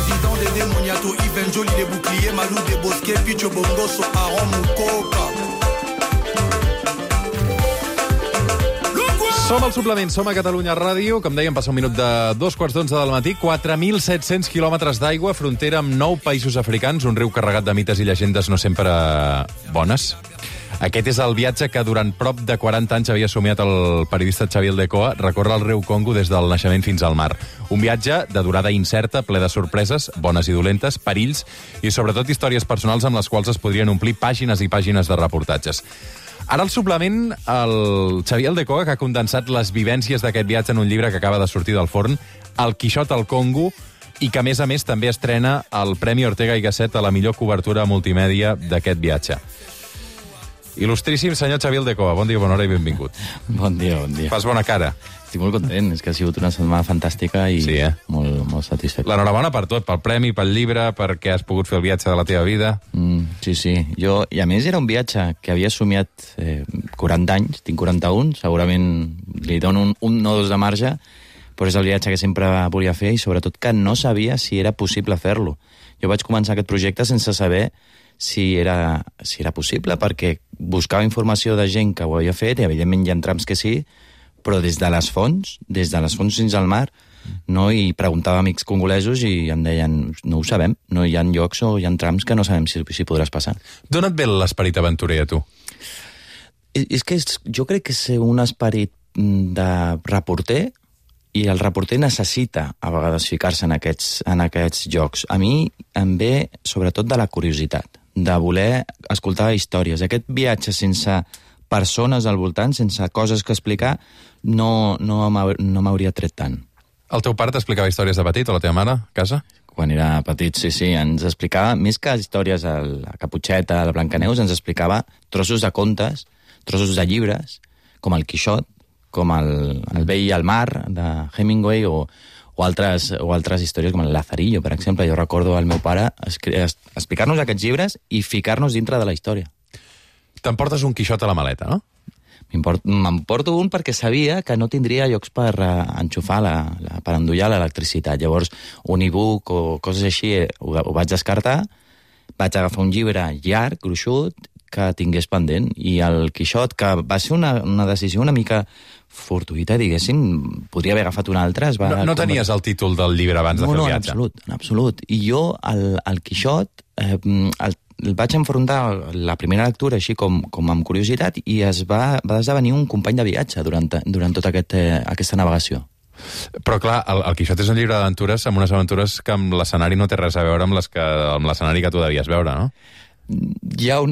président des démoniatos, Yves Jolie des boucliers, Malou des bosquets, Picho Bongoso, Aaron Mucoca. Som al suplement, som a Catalunya Ràdio. Com dèiem, passa un minut de 2:15 del matí. 4.700 quilòmetres d'aigua, frontera amb 9 països africans, un riu carregat de mites i llegendes no sempre bones. Aquest és el viatge que durant prop de 40 anys havia somiat el periodista Xavier Aldecoa, recórrer el riu Congo des del naixement fins al mar. Un viatge de durada incerta, ple de sorpreses, bones i dolentes, perills i sobretot històries personals amb les quals es podrien omplir pàgines i pàgines de reportatges. Ara al suplement, el Xavier Aldecoa, que ha condensat les vivències d'aquest viatge en un llibre que acaba de sortir del forn, El Quixot al Congo, i que, a més, també estrena el Premi Ortega i Gasset a la millor cobertura multimèdia d'aquest viatge. Il·lustríssim senyor Xavier Aldecoa, bon dia, bona hora i benvingut. Bon dia, bon dia. Fas bona cara. Estic molt content, és que ha sigut una setmana fantàstica i sí, molt satisfet. L'enhorabona per tot, pel premi, pel llibre, perquè has pogut fer el viatge de la teva vida. Sí. I a més era un viatge que havia somiat 40 anys, tinc 41, segurament li dono un o dos de marge, però és el viatge que sempre volia fer i sobretot que no sabia si era possible fer-lo. Jo vaig començar aquest projecte sense saber si era possible, perquè buscava informació de gent que ho havia fet, i evidentment hi ha trams que sí, però des de les fonts fins al mar, no? I preguntava a amics congolesos i em deien, no ho sabem, no hi ha llocs o hi ha trams que no sabem si podràs passar. D'on et ve l'esperit aventurer a tu? És que jo crec que és un esperit de reporter, i el reporter necessita a vegades ficar-se en aquests jocs. A mi em ve sobretot de la curiositat, de voler escoltar històries. Aquest viatge sense persones al voltant, sense coses que explicar, no m'hauria tret tant. El teu pare t'explicava històries de petit, o la teva mare, a casa? Quan era petit, sí, ens explicava, més que històries a la Caputxeta, a la Blancaneus, ens explicava trossos de contes, trossos de llibres, com el Quixot, com el vell al mar, de Hemingway, o altres històries, com el Lazarillo, per exemple. Jo recordo el meu pare explicar-nos aquests llibres i ficar-nos dintre de la història. T'emportes un Quixot a la maleta, no? M'emporto un perquè sabia que no tindria llocs per enxufar, per endollar l'electricitat. Llavors, un e-book o coses així ho vaig descartar, vaig agafar un llibre llarg, gruixut, que tingués pendent, i el Quixot, que va ser una decisió una mica fortuïta, diguéssim, podria haver agafat un altre. No tenies el títol del llibre abans de fer el viatge? No, en absolut. I jo, el Quixot, el vaig enfrontar la primera lectura així com amb curiositat i va esdevenir un company de viatge durant tota aquesta navegació. Però clar, el Quixot és un llibre d'aventures amb unes aventures que amb l'escenari no té res a veure amb l'escenari que tu devies veure, no? Hi ha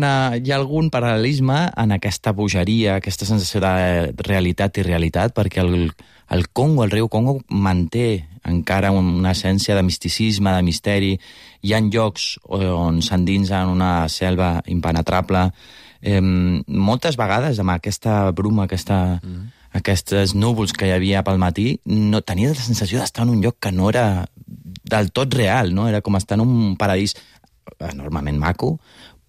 algun paral·lelisme en aquesta bogeria, aquesta sensació de realitat i realitat, perquè el Congo, el riu Congo, manté encara una essència de misticisme, de misteri. Hi ha llocs on s'endinsa en una selva impenetrable. Moltes vegades, amb aquesta bruma, aquests núvols que hi havia pel matí, no tenia la sensació d'estar en un lloc que no era del tot real, no? Era com estar en un paradís enormement maco,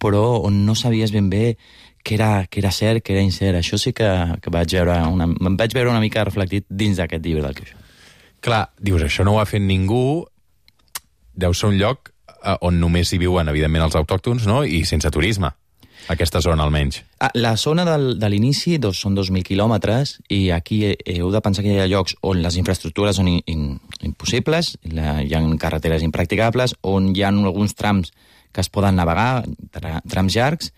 però on no sabies ben bé què era cert, què era incert. Això sí que me'n vaig veure una mica reflectit dins d'aquest llibre del Quixot. Clar, dius, això no ho ha fet ningú, deu ser un lloc on només hi viuen, evidentment, els autòctons, no? I sense turisme, aquesta zona almenys. La zona de l'inici són 2.000 quilòmetres, i aquí heu de pensar que hi ha llocs on les infraestructures són impossibles, hi ha carreteres impracticables, on hi ha alguns trams que es poden navegar, trams llargs,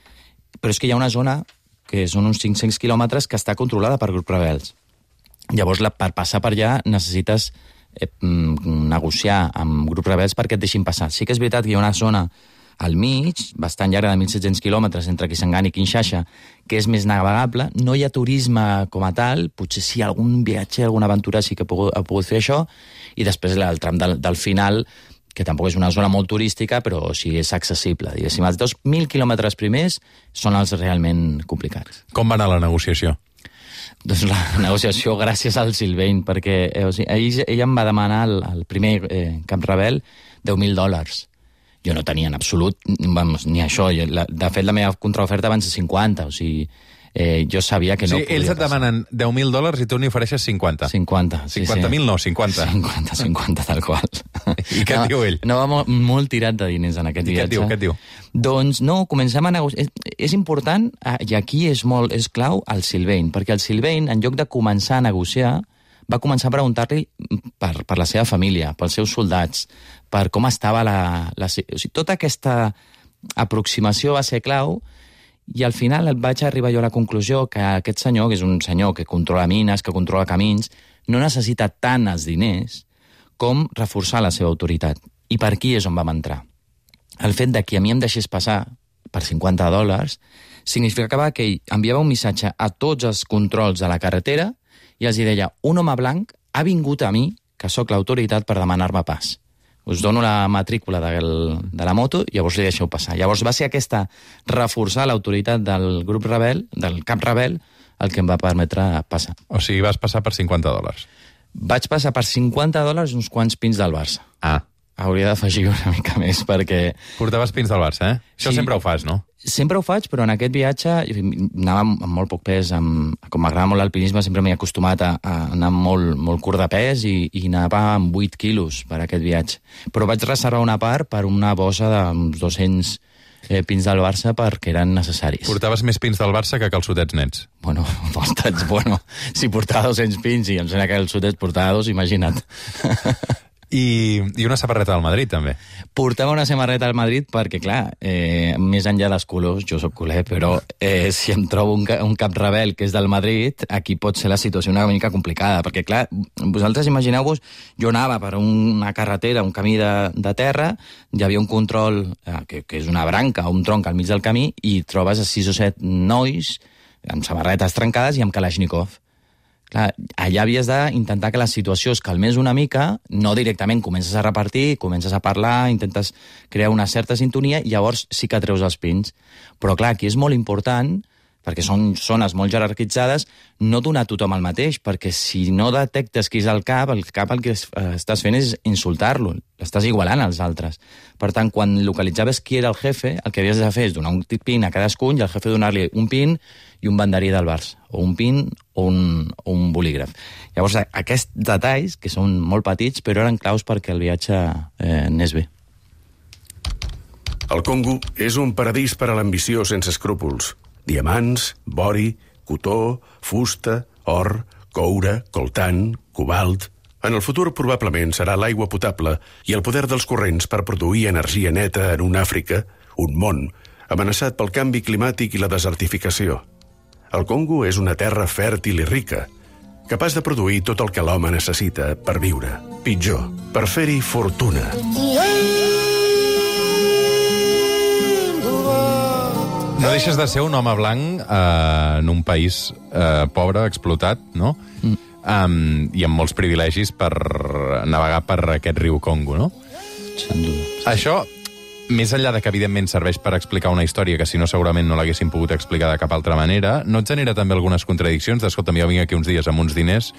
però és que hi ha una zona que són uns 500 quilòmetres que està controlada per grups rebels. Llavors, per passar per allà necessites negociar amb grups rebels perquè et deixin passar. Sí que és veritat que hi ha una zona al mig, bastant llarga, de 1.700 quilòmetres, entre Kisangani i Kinshasa, que és més navegable. No hi ha turisme com a tal, potser sí algun viatge, alguna aventura sí que ha pogut fer això, i després el tram del final, que tampoc és una zona molt turística, però sí és accessible. Diguéssim, els 2.000 quilòmetres primers són els realment complicats. Com va anar la negociació? Doncs la negociació gràcies al Sylvain, perquè ell em va demanar el primer camp rebel $10.000. Jo no tenia en absolut ni això. De fet, la meva contraoferta van ser 50, o sigui, Jo sabia que no podia ells et demanen $10.000 i tu n'hi ofereixes 50. 50, sí. 50.000 no, 50. 50, tal qual. I què et diu ell? No, va molt tirat de diners en aquest viatge. Què et diu? Doncs no, comencem a negociar. És important, i aquí és clau, el Sylvain, perquè el Sylvain, en lloc de començar a negociar, va començar a preguntar-li per la seva família, pels seus soldats, per com estava o sigui, tota aquesta aproximació va ser clau, i al final vaig arribar jo a la conclusió que aquest senyor, que és un senyor que controla mines, que controla camins, no necessita tant els diners com reforçar la seva autoritat. I per aquí és on vam entrar. El fet de que a mi em deixés passar per $50 significava que ell enviava un missatge a tots els controls de la carretera i els deia, un home blanc ha vingut a mi, que sóc l'autoritat, per demanar-me pas. Us dono la matrícula de la moto i llavors li deixeu passar. Llavors va ser aquesta reforçar l'autoritat del grup rebel, del cap rebel, el que em va permetre passar. O sigui, vas passar per $50. Vaig passar per $50 uns quants pins del Barça. Hauria d'afegir una mica més perquè... Portaves pins del Barça, eh? Això sí. Sempre ho fas, no? Sempre ho faig, però en aquest viatge anava amb molt poc pes. Com m'agrada molt l'alpinisme, sempre m'he acostumat a anar molt curt de pes i anava amb 8 quilos per aquest viatge. Però vaig reservar una part per una bossa d'uns 200 pins del Barça perquè eren necessaris. Portaves més pins del Barça que calçotets nets. Bueno, si portava 200 pins i em sembla que calçotets portava 2, imagina't. I una samarreta del Madrid, també. Portava una samarreta del Madrid perquè, clar, més enllà dels colors, jo sóc culer, però si em trobo un cap rebel que és del Madrid, aquí pot ser la situació una mica complicada, perquè, clar, vosaltres imagineu-vos, jo anava per una carretera, un camí de terra, hi havia un control, que és una branca, un tronc al mig del camí, i trobes 6 o 7 nois amb samarretes trencades i amb Kalashnikov. Clar, allà havies d'intentar que la situació es calmés una mica, no directament comences a repartir, comences a parlar, intentes crear una certa sintonia i llavors sí que treus els pins. Però clar, aquí és molt important, perquè són zones molt jerarquitzades, no donar a tothom el mateix, perquè si no detectes qui és el cap el que estàs fent és insultar-lo, l'estàs igualant als altres. Per tant, quan localitzaves qui era el jefe, el que havies de fer és donar un pin a cadascun i el jefe donar-li un pin i un banderí del Barça, o un pin o un bolígraf. Llavors, aquests detalls, que són molt petits, però eren claus perquè el viatge anés bé. El Congo és un paradís per a l'ambició sense escrúpols. Diamants, bori, cotó, fusta, or, coure, coltan, cobalt... En el futur probablement serà l'aigua potable i el poder dels corrents per produir energia neta en una Àfrica, un món, amenaçat pel canvi climàtic i la desertificació. El Congo és una terra fèrtil i rica, capaç de produir tot el que l'home necessita per viure. Pitjor, per fer-hi fortuna. No deixes de ser un home blanc en un país pobre, explotat, no? I amb molts privilegis per navegar per aquest riu Congo, no? Sin duda. Això, més enllà de que evidentment serveix per explicar una història que si no segurament no l'haguessin pogut explicar de cap altra manera, no et genera també algunes contradiccions d'escolta, jo vinc aquí uns dies amb uns diners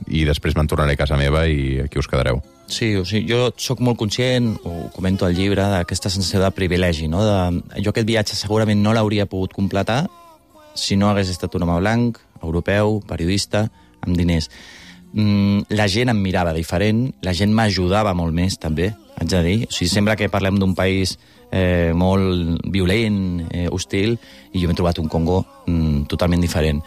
i després me'n tornaré a casa meva i aquí us quedareu. Sí, o sigui, jo sóc molt conscient, ho comento al llibre, d'aquesta sensació de privilegi, no? Jo aquest viatge segurament no l'hauria pogut completar si no hagués estat un home blanc, europeu, periodista, amb diners. La gent em mirava diferent, la gent m'ajudava molt més, també, haig de dir. O sigui, sembla que parlem d'un país molt violent, hostil, i jo m'he trobat un Congo totalment diferent.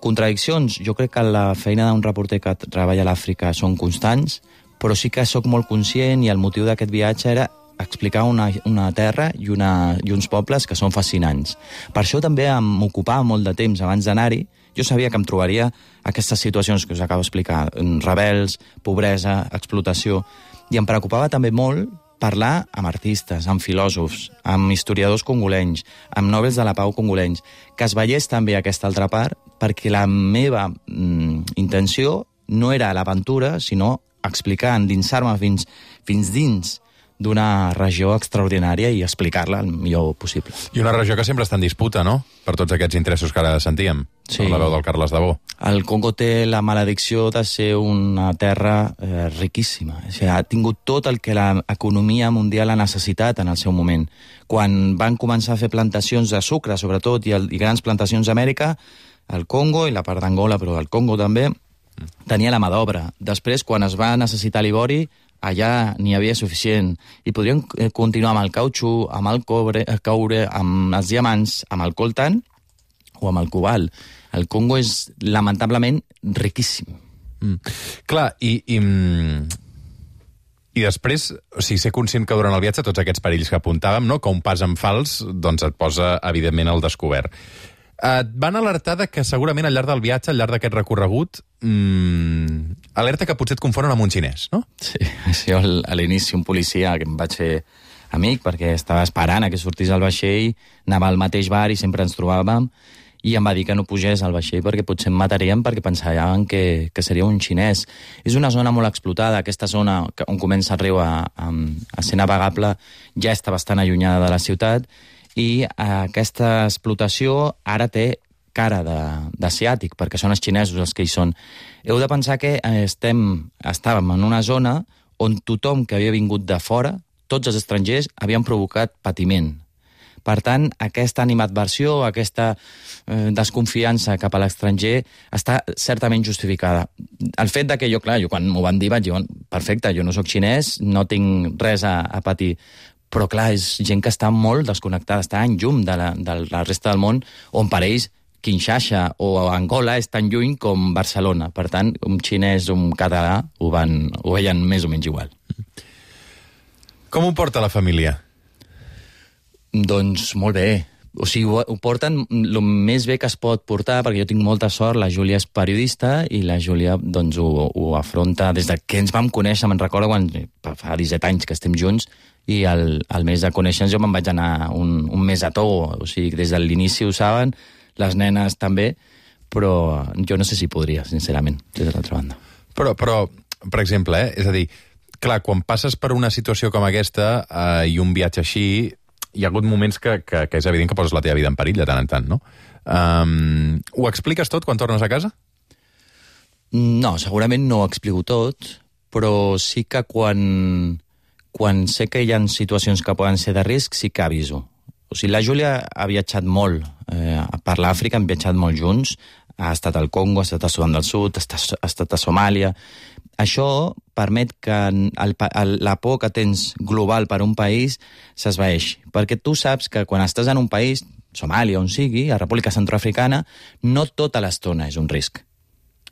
Contradiccions, jo crec que la feina d'un reporter que treballa a l'Àfrica són constants, però sí que sóc molt conscient i el motiu d'aquest viatge era explicar una terra i uns pobles que són fascinants. Per això també m'ocupava molt de temps abans d'anar-hi. Jo sabia que em trobaria aquestes situacions que us acabo d'explicar, rebels, pobresa, explotació, i em preocupava també molt parlar amb artistes, amb filòsofs, amb historiadors congolenys, amb nobels de la pau congolenys, que es veiés també aquesta altra part, perquè la meva intenció no era l'aventura, sinó explicar, endinsar-me fins dins d'una regió extraordinària i explicar-la el millor possible. I una regió que sempre està en disputa, no?, per tots aquests interessos que ara sentíem, Sí. per la veu del Carles Dabó. El Congo té la maledicció de ser una terra riquíssima. O sigui, ha tingut tot el que l'economia mundial ha necessitat en el seu moment. Quan van començar a fer plantacions de sucre, sobretot, i grans plantacions d'Amèrica, el Congo i la part d'Angola, però el Congo també, tenia la mà d'obra. Després, quan es va necessitar l'ivori, allà n'hi havia suficient. I podríem continuar amb el cautxú, amb el coure, amb els diamants, amb el coltan o amb el cobalt. El Congo és, lamentablement, riquíssim. Clar, i després, o sigui, ser conscient que durant el viatge tots aquests perills que apuntàvem, no?, que un pas en fals, doncs et posa, evidentment, al descobert. Et van alertar de que segurament al llarg del viatge, al llarg d'aquest recorregut, alerta que potser et confonen amb un xinès, no? Sí, jo a l'inici un policia que em vaig fer amic perquè estava esperant a que sortís el vaixell, anava al mateix bar i sempre ens trobàvem, i em va dir que no pugés al vaixell perquè potser em mataríem perquè pensaven que seria un xinès. És una zona molt explotada, aquesta zona on comença el riu a ser navegable ja està bastant allunyada de la ciutat, i aquesta explotació ara té cara d'asiàtic, perquè són els xinesos els que hi són. Heu de pensar que estàvem en una zona on tothom que havia vingut de fora, tots els estrangers, havien provocat patiment. Per tant, aquesta animadversió, aquesta desconfiança cap a l'estranger està certament justificada. El fet de que jo, clar, quan m'ho van dir vaig dir, perfecte, jo no sóc xinès, no tinc res a patir. Però, clar, és gent que està molt desconnectada, està en llum de la resta del món, on per ells Kinshasa o Angola és tan lluny com Barcelona. Per tant, un xinès o un català ho veien més o menys igual. Com ho porta la família? Doncs molt bé. O sigui, ho porten el més bé que es pot portar, perquè jo tinc molta sort, la Júlia és periodista i la Júlia doncs, ho afronta des de que ens vam conèixer, me'n recordo quan fa 17 anys que estem junts, i al mes de conèixer-nos jo me'n vaig anar un mes a Togo. O sigui, des de l'inici ho saben, les nenes també, però jo no sé si podria, sincerament, des de l'altra banda. Però per exemple, és a dir, clar, quan passes per una situació com aquesta i un viatge així, hi ha hagut moments que és evident que poses la teva vida en perill de tant en tant, no? Ho expliques tot quan tornes a casa? No, segurament no ho explico tot, però sí que quan sé que hi ha situacions que poden ser de risc, sí que aviso. O sigui, la Júlia ha viatjat molt per l'Àfrica, hem viatjat molt junts, ha estat al Congo, ha estat a Sudan del Sud, ha estat a Somàlia. Això permet que la por que tens global per un país s'esvaeixi, perquè tu saps que quan estàs en un país, Somàlia, on sigui, a República Centroafricana, no tota l'estona és un risc.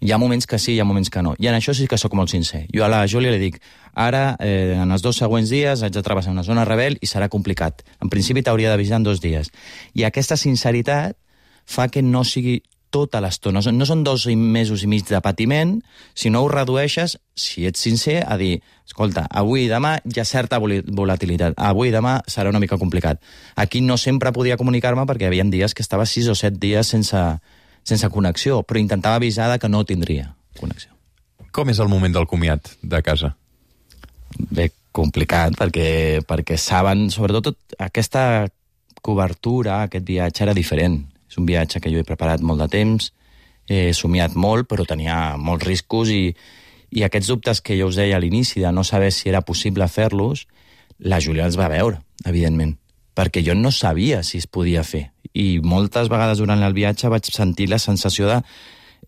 Hi ha moments que sí, hi ha moments que no. I en això sí que sóc molt sincer. Jo a la Júlia li dic, ara, en els 2 següents dies, haig de travessar una zona rebel i serà complicat. En principi t'hauria d'avisar en 2 dies. I aquesta sinceritat fa que no sigui tota l'estona. No són 2 mesos i mig de patiment, si no ho redueixes, si ets sincer, a dir, escolta, avui i demà hi ha certa volatilitat, avui i demà serà una mica complicat. Aquí no sempre podia comunicar-me perquè hi havia dies que estava 6 o 7 dies sense connexió, però intentava avisar que no tindria connexió. Com és el moment del comiat de casa? Bé, complicat, perquè saben, sobretot aquesta cobertura, aquest viatge era diferent. És un viatge que jo he preparat molt de temps, he somiat molt, però tenia molts riscos i aquests dubtes que jo us deia a l'inici de no saber si era possible fer-los, la Júlia els va veure, evidentment, perquè jo no sabia si es podia fer. I moltes vegades durant el viatge vaig sentir la sensació de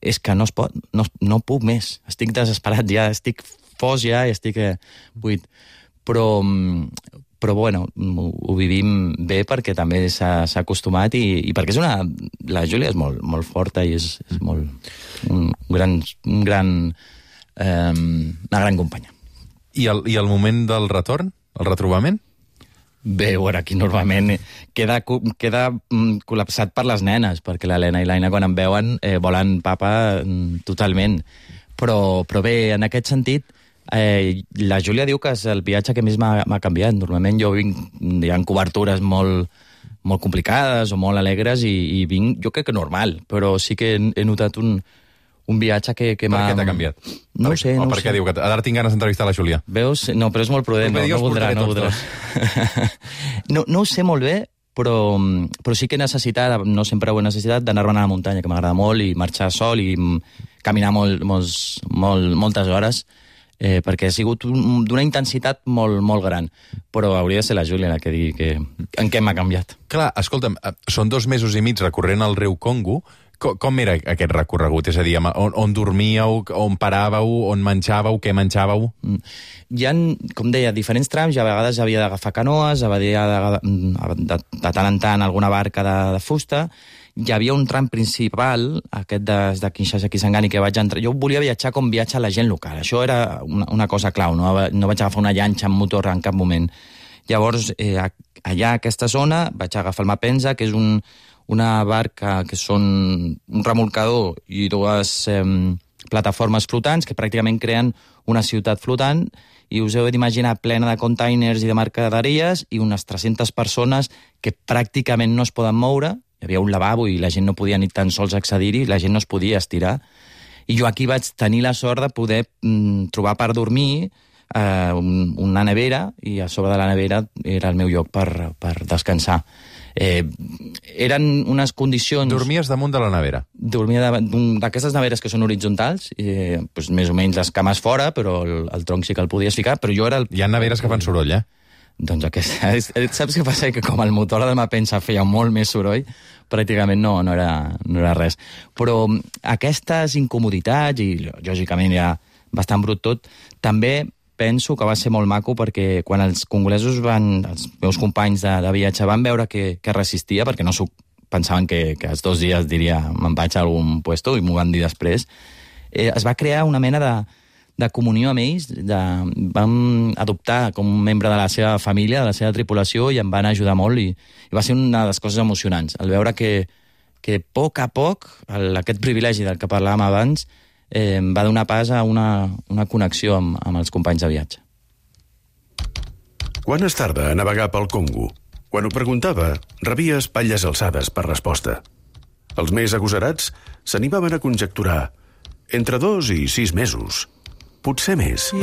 és que no es pot, no puc més, estic desesperat ja, estic fos ja, estic buit. Però bueno, ho vivim bé perquè també s'ha acostumat i perquè la Júlia és molt forta i és una gran companya. I el moment del retorn, el retrobament? Bé, bueno, aquí normalment queda col·lapsat per les nenes, perquè l'Helena i l'Aina quan em veuen volen papa totalment. Però bé, en aquest sentit, la Júlia diu que és el viatge que més m'ha canviat. Normalment jo vinc, hi ha cobertures molt complicades o molt alegres i vinc, jo crec que normal, però sí que he notat un un viatge que Per m'ha... què t'ha canviat? No ho sé, no ho per què sé. diu que ara tinc ganes d'entrevistar la Júlia? Veus? No, però és molt prudent, no voldrà. No ho sé molt bé, però sí que he necessitat, no sempre ho he necessitat, d'anar-me'n a la muntanya, que m'agrada molt, i marxar sol i caminar moltes hores, perquè ha sigut d'una intensitat molt gran. Però hauria de ser la Júlia la que digui en què m'ha canviat. Clar, escolta'm, són 2 mesos i mig recorrent el riu Congo. Com era aquest recorregut? És a dir, on dormíeu, on paràveu, on menjàveu, què menjàveu? Hi ha, com deia, diferents trams, i a vegades havia d'agafar canoes, de tant en tant alguna barca de fusta. Hi havia un tram principal, aquest de Kinshasa a Kisangani, que vaig entrar. Jo volia viatjar com viatja la gent local. Això era una cosa clau, no vaig agafar una llanxa amb motor en cap moment. Llavors, allà a aquesta zona vaig agafar el Mapensa, que és una barca que són un remolcador i 2 plataformes flotants que pràcticament creen una ciutat flotant, i us heu d'imaginar plena de containers i de mercaderies i unes 300 persones que pràcticament no es poden moure. Hi havia un lavabo i la gent no podia ni tan sols accedir-hi, la gent no es podia estirar. I jo aquí vaig tenir la sort de poder trobar per dormir una nevera, i a sobre de la nevera era el meu lloc per descansar. Eren unes condicions... Dormies damunt de la nevera? Dormia d'aquestes neveres que són horitzontals, doncs més o menys les cames fora, però el tronc sí que el podies ficar, però jo era... Hi ha neveres que fan soroll, Doncs saps què passa? Que com el motor del Mapensa feia molt més soroll, pràcticament no era res. Però aquestes incomoditats, i lògicament era bastant brut tot, també penso que va ser molt maco, perquè quan els congolesos els meus companys de viatge van veure que resistia, perquè no pensaven que els 2 dies diria me'n vaig a algun puesto, i m'ho van dir després, es va crear una mena de comunió amb ells, vam adoptar com un membre de la seva família, de la seva tripulació, i em van ajudar molt, i va ser una de les coses emocionants, el veure que a poc aquest privilegi del que parlàvem abans va donar pas a una connexió amb els companys de viatge. Quan es tarda a navegar pel Congo? Quan ho preguntava, rebia espatlles alçades per resposta. Els més agosarats s'animaven a conjecturar entre 2 i 6 mesos. Potser més.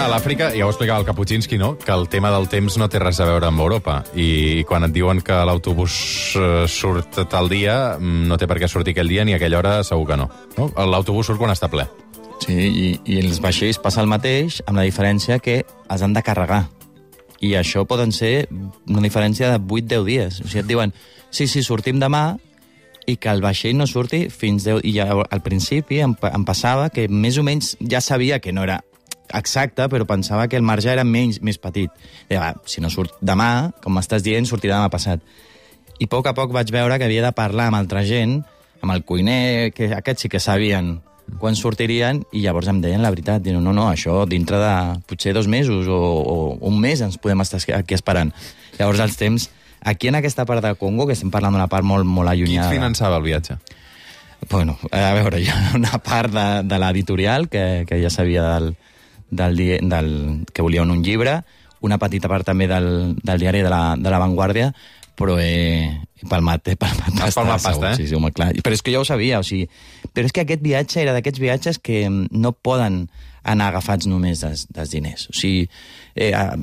A l'Àfrica, ja ho explicava el Kapuscinski, no?, que el tema del temps no té res a veure amb Europa. I quan et diuen que l'autobús surt tal dia, no té per què sortir aquell dia ni a aquella hora, segur que no. L'autobús surt quan està ple. Sí, i els vaixells passa el mateix, amb la diferència que els han de carregar. I això poden ser una diferència de 8-10 dies. O sigui, et diuen, sí, sortim demà, i que el vaixell no surti fins 10... I ja, al principi em passava que més o menys ja sabia que no era exacte, però pensava que el marge era més petit. Deia, si no surt demà, com m'estàs dient, sortirà demà passat. I a poc vaig veure que havia de parlar amb altra gent, amb el cuiner, que aquests sí que sabien quan sortirien, i llavors em deien la veritat. Diuen, no, això dintre de potser 2 mesos o un mes ens podem estar aquí esperant. Llavors els temps, aquí en aquesta part de Congo, que estem parlant d'una part molt allunyada... Qui et finançava el viatge? Bueno, a veure, hi ha una part de l'editorial que ja sabia que volien un llibre, una petita part també del diari de la Vanguardia, però palmat pasta, sí, home, clar. Però és que jo ho sabia, o sigui, però és que aquest viatge era d'aquests viatges que no poden anar agafats només dels diners. O sigui,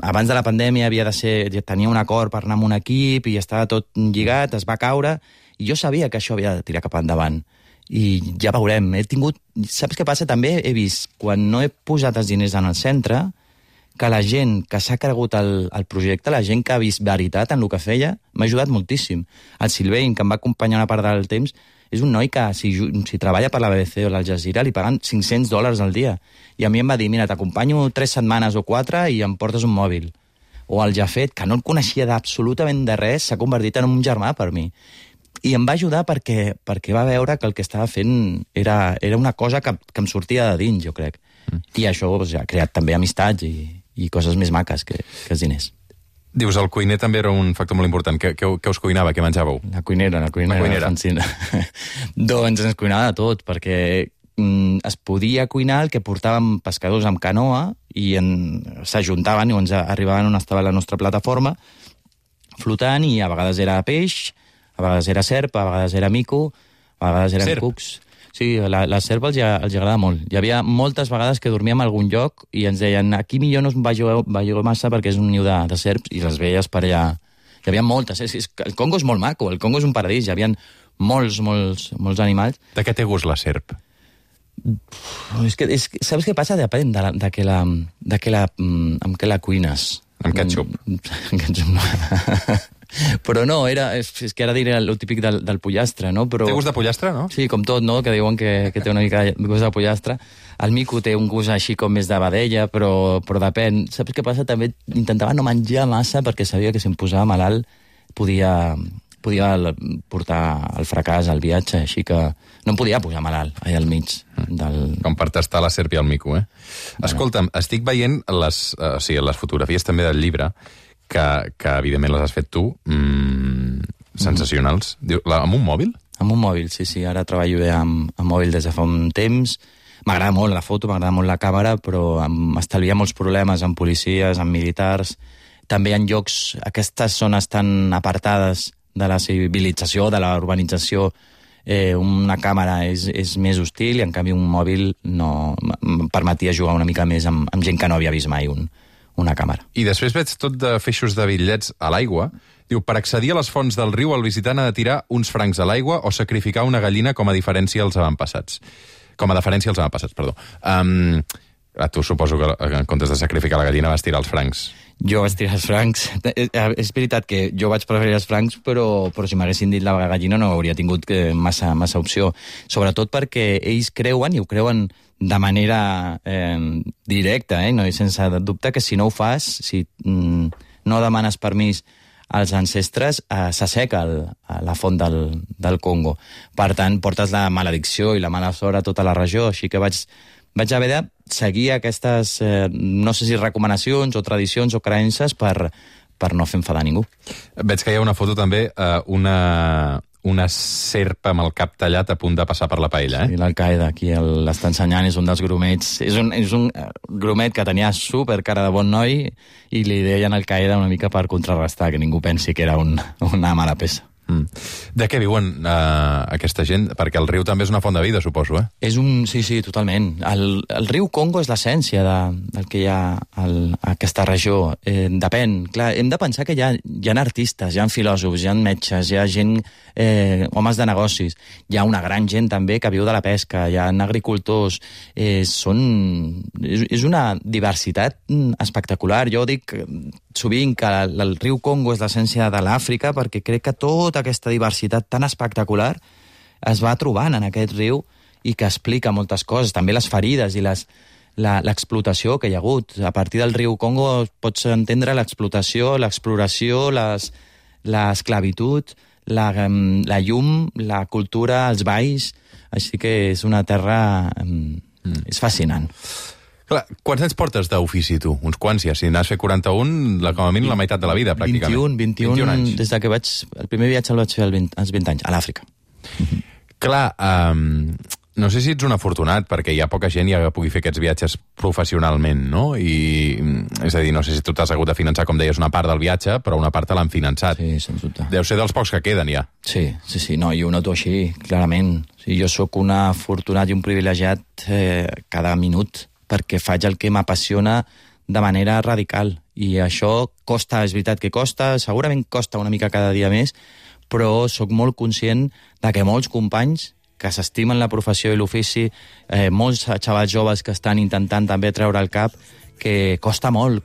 abans de la pandèmia tenia un acord per anar amb un equip i estava tot lligat, es va caure, i jo sabia que això havia de tirar cap endavant. I ja veurem, saps què passa? També he vist, quan no he posat els diners en el centre, que la gent que s'ha cregut el projecte, la gent que ha vist veritat en el que feia, m'ha ajudat moltíssim. El Sylvain, que em va acompanyar una part del temps, és un noi que si treballa per la BBC o l'Al Jazeera li paguen $500 al dia. I a mi em va dir, mira, t'acompanyo 3 setmanes o 4 i em portes un mòbil. O el Jafet, que no el coneixia d'absolutament de res, s'ha convertit en un germà per mi. I em va ajudar perquè va veure que el que estava fent era una cosa que em sortia de dins, jo crec. I això ha creat també amistats i coses més maques que els diners. Dius, el cuiner també era un factor molt important. Què us cuinava? Què menjàveu? La cuinera. Doncs ens cuinava de tot, perquè es podia cuinar el que portàvem pescadors amb canoa i s'ajuntaven i ens arribaven on estava la nostra plataforma flotant i a vegades era peix, a vegades era serp, a vegades era mico, a vegades eren Serp? cucs. Sí, la serp els agrada molt. Hi havia moltes vegades que dormíem a algun lloc i ens deien aquí millor no us veieu massa perquè és un niu de serps i les veies per allà. Hi havia moltes. El Congo és molt maco, el Congo és un paradís, hi havia molts animals. De què té gust la serp? Saps què passa? Depèn de què amb què la cuines. Amb ketchup. Ketchup no. Però no, és que ara diré el típic del pollastre, no? Però, té gust de pollastre, no? Sí, com tot, no? Que diuen que té una mica de gust de pollastre. El mico té un gust així com més de vedella, però depèn. Saps què passa? També intentava no menjar massa perquè sabia que si em posava malalt podia portar el fracàs al viatge, així que no em podia posar malalt allà al mig del... Com per tastar la serp i el mico, eh? Escolta'm, estic veient les fotografies també del llibre, que evidentment les has fet tu, sensacionals. Amb un mòbil? Amb un mòbil, sí. Ara treballo bé amb mòbil des de fa un temps. M'agrada molt la foto, m'agrada molt la càmera, però m'estalvia molts problemes amb policies, amb militars. També en llocs, aquestes zones tan apartades de la civilització, de la urbanització, una càmera és més hostil i en canvi un mòbil no em permetia jugar una mica més amb gent que no havia vist mai una càmera. I després veig tot de feixos de bitllets a l'aigua. Diu, per accedir a les fonts del riu, el visitant ha de tirar uns francs a l'aigua o sacrificar una gallina com a deferència als avantpassats. Perdó. A tu suposo que en comptes de sacrificar la gallina vas tirar els francs. Jo vaig tirar els francs. És veritat que jo vaig preferir els francs, però si m'haguessin dit la gallina no hauria tingut massa opció. Sobretot perquè ells creuen, i ho creuen de manera directa, no? I sense dubte que si no ho fas, si no demanes permís als ancestres, s'asseca la font del Congo. Per tant, portes la maledicció i la mala sort a tota la regió, així que vaig haver de seguir aquestes, no sé si recomanacions o tradicions o creences per no fer enfadar ningú. Veig que hi ha una foto també, una serp amb el cap tallat a punt de passar per la paella, eh? Sí, l'Al-Qaeda, aquí l'està ensenyant, és un dels grumets. És un grumet que tenia super cara de bon noi i li deien Al-Qaeda una mica per contrarrestar, que ningú pensi que era una mala peça. De què viuen aquesta gent? Perquè el riu també és una font de vida, suposo, eh? Sí, totalment. El riu Congo és l'essència del que hi ha a aquesta regió. Depèn. Clar, hem de pensar que hi ha artistes, hi ha filòsofs, hi ha metges, hi ha gent, homes de negocis. Hi ha una gran gent també que viu de la pesca, hi ha agricultors. És una diversitat espectacular. Jo dic sovint que el riu Congo és l'essència de l'Àfrica perquè crec que tota aquesta diversitat tan espectacular es va trobant en aquest riu i que explica moltes coses, també les ferides i l'explotació que hi ha hagut. A partir del riu Congo pots entendre l'explotació, l'exploració, l'esclavitud, la llum, la cultura, els balls, així que és una terra... és fascinant. Clar, quants anys portes d'ofici, tu? Uns quants, ja. Si n'has fet 41, com a mínim la meitat de la vida, pràcticament. 21 anys. Des que el primer viatge el vaig fer als 20 anys, a l'Àfrica. Clar, no sé si ets un afortunat, perquè hi ha poca gent que pugui fer aquests viatges professionalment, no? És a dir, no sé si tu t'has hagut de finançar, com deies, una part del viatge, però una part te l'han finançat. Sí, sens dubte. Deu ser dels pocs que queden, ja. Sí, no, jo ho noto així, clarament. Jo sóc un afortunat i un privilegiat cada minut, perquè faig el que m'apassiona de manera radical. I això costa, és veritat que costa, segurament costa una mica cada dia més, però sóc molt conscient de que molts companys que s'estimen la professió i l'ofici, molts xavals joves que estan intentant també treure el cap, que costa molt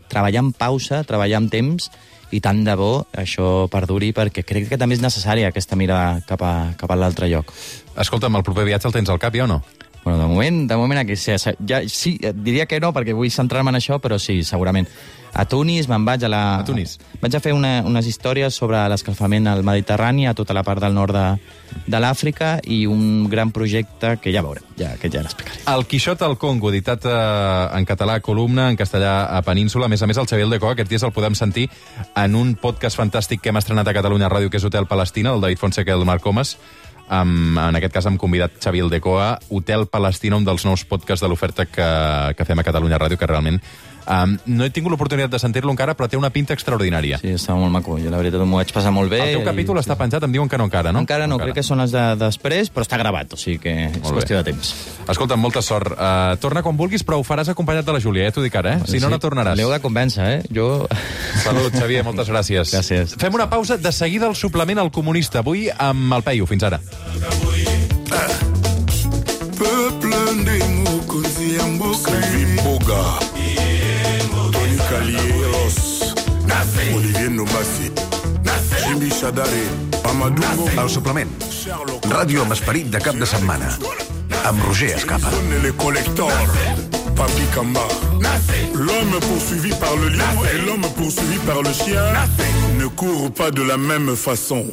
treballar amb pausa, treballar amb temps, i tant de bo això perduri, perquè crec que també és necessària aquesta mirada cap a l'altre lloc. Escolta'm, el proper viatge el tens al cap, ja o no? Bueno, de moment aquí sí, diria que no, perquè vull centrar-me en això, però sí, segurament. A Tunis me'n vaig a Tunis? Vaig a fer unes històries sobre l'escalfament al Mediterrani, a tota la part del nord de l'Àfrica, i un gran projecte que ja veurem, que ja l'explicaré. El Quixot al Congo, editat en català a Columna, en castellà a Península. A més, el Xavier Aldecoa, aquests dies el podem sentir en un podcast fantàstic que hem estrenat a Catalunya Ràdio, que és Hotel Palestina, del David Fonseca i el Marc Comas. En aquest cas hem convidat Xavier Aldecoa, Hotel Palestina, un dels nous podcasts de l'oferta que fem a Catalunya Ràdio, que realment No he tingut l'oportunitat de sentir-lo encara, però té una pinta extraordinària. Sí, està molt maco. Jo la veritat m'ho vaig passar molt bé. El teu capítol està penjat, em diuen que no encara, no? Encara no, crec que són els de després, però està gravat, o sigui que és qüestió de temps. Escolta, molta sort. Torna quan vulguis, però ho faràs acompanyat de la Júlia, t'ho dic ara, Si no, no tornaràs. L'heu de convèncer, Jo... Salut, Xavier, moltes gràcies. Gràcies. Fem una pausa, de seguida el suplement al comunista, avui amb el Peyu. Fins ara. Boga, Tony Calieros, Olivier Nomasi, Jimmy Shadari, Amadou. El suplement. Ràdio amb esperit de cap de setmana. Amb Roger Escapa. Les collecteurs, Papi Kamba. L'homme poursuivi par le lion et l'homme poursuivi par le chien ne courent pas de la même façon.